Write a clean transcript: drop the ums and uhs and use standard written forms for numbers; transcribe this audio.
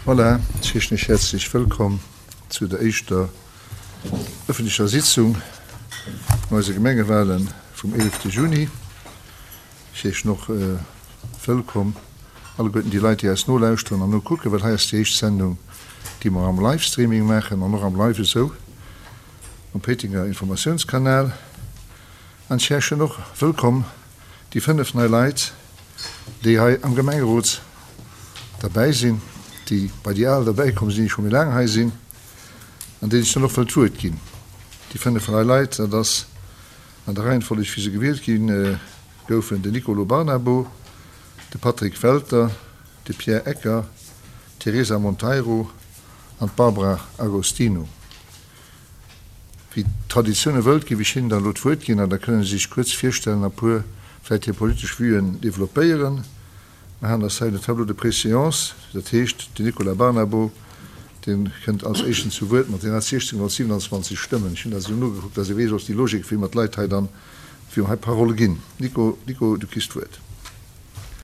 Voilà, ech heeschen Iech häerzlech wëllkomm zu der éischter ëffentlecher Sitzung no eise Gemengewahlen vum 11 Juni. Ech heeschen och wëllkomm alleguerten déi Leit, déi eis nolauschteren an nokucken, well hei ass déi éischt Sendung, déi mer am Livestreaming maachen an och am Live esou um Péitenger Informatiounskanal. An ech heeschen och wëllkomm déi 5 nei Leit, déi hei am Gemengerot derbäi sinn, déi bei déi al derbäi komm sinn, déi scho méi laang hei sinn, an deenen ech dann och wëll d'Wuert ginn. Déi 5 nei Leit, dat ass an der Reihenfolleg wéi se gewielt gi goufen, den Nicolo Barnabo, de Patrick Welter, de Pierre Ecker, d'Teresa Monteiro an d'Barbara Agostino. Wéi d'Traditioun e wëllt, géif ech hinnen dann elo d'Wuert ginn an da kënnen se sech kuerz virstellen a puer vläicht hir politesch Vuen developpéieren. Mer han ass hei den Tableau de préséance, dat heescht, den Nicolas Barnabo, dee kënnt als éischten zu Wuert mat 1627 Stëmmen. Ech hunn dat esou nogekuckt, dass ee weess och déi Logik, wéi mer d'Leit hei dann, wéi mer hei d'Parole ginn. Nico, Nico, du kriss d'Wuert.